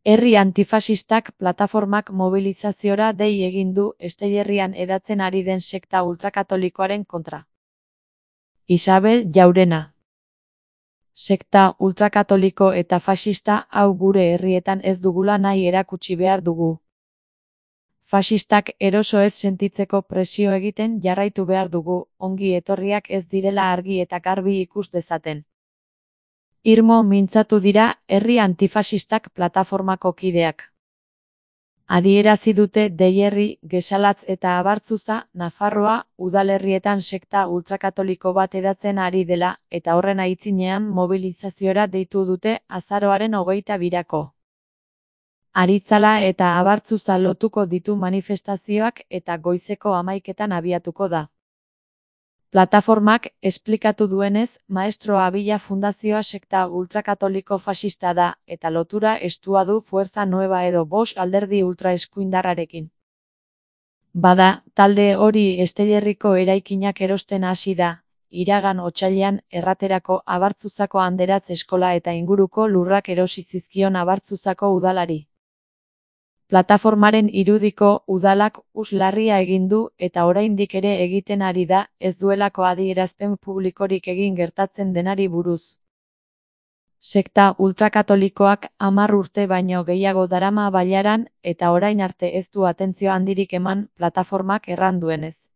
Herri antifasistak plataformak mobilizaziora dei egin du Esteiherrian hedatzen ari den sekta ultrakatolikoaren kontra. Isabel Jaurena. Sekta ultrakatoliko eta fasista hau gure herrietan ez dugula nahi erakutsi behar dugu. Fasistak eroso ez sentitzeko presio egiten jarraitu behar dugu, ongi etorriak ez direla argi eta garbi ikus dezaten. Irmo mintzatu dira herri antifasistak plataformako kideak. Adierazi dute Deierri, Gesalatz eta Abartzuza, Nafarroa, udalerrietan sekta ultrakatoliko bat hedatzen ari dela, eta horren aitzinean mobilizaziora deitu dute azaroaren 22. Aritzala eta Abartzuza lotuko ditu manifestazioak eta goizeko 11etan abiatuko da. Plataformak esplikatu duenez, Maestro Abila Fundazioa sekta ultrakatoliko fasista da, eta lotura estua du Fuerza Nueva edo Bosch alderdi ultraeskuindarrarekin. Bada, talde hori Esteiherriko eraikinak erosten hasi da, iragan otsailean erraterako Abartzuzako Anderatz eskola eta inguruko lurrak erosi zizkion Abartzuzako udalari. Plataformaren irudiko udalak larria egin du eta oraindik ere egiten ari da, ez duelako adierazpen publikorik egin gertatzen denari buruz. Sekta ultrakatolikoak 10 urte baino gehiago darama bailaran eta orain arte ez du atentzio handirik eman plataformak erran duenez.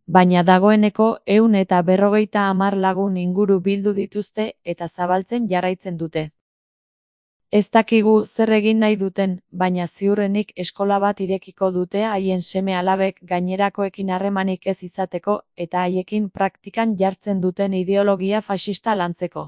Baina dagoeneko 150 lagun inguru bildu dituzte eta zabaltzen jarraitzen dute. Ez dakigu zer egin nahi duten, baina ziurrenik eskola bat irekiko dute haien seme-alabek gainerakoekin harremanik ez izateko eta haiekin praktikan jartzen duten ideologia fasista lantzeko.